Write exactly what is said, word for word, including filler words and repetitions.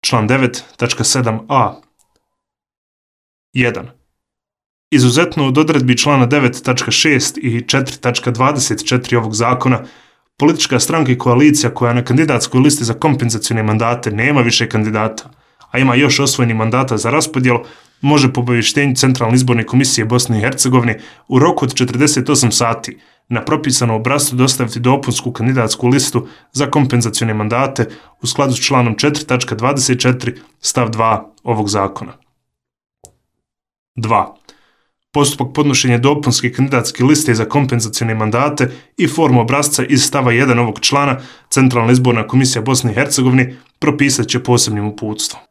član devet tačka sedam a. jedan. Izuzetno od odredbi člana devet tačka šest i četiri tačka dvadeset četiri ovog zakona, politička stranka i koalicija koja na kandidatskoj listi za kompenzacione mandate nema više kandidata, a ima još osvojenih mandata za raspodjelu, može po obavještenju Centralne izborne komisije Bosne i Hercegovine u roku od četrdeset osam sati na propisanom obrascu dostaviti dopunsku kandidatsku listu za kompenzacione mandate u skladu s članom četiri tačka dvadeset četiri stav dva ovog zakona. dva. Postupak podnošenja dopunske kandidatske liste za kompenzacione mandate i formu obrasca iz stava jedan ovog člana Centralna izborna komisija Bosne i Hercegovine propisat će posebnim uputstvom.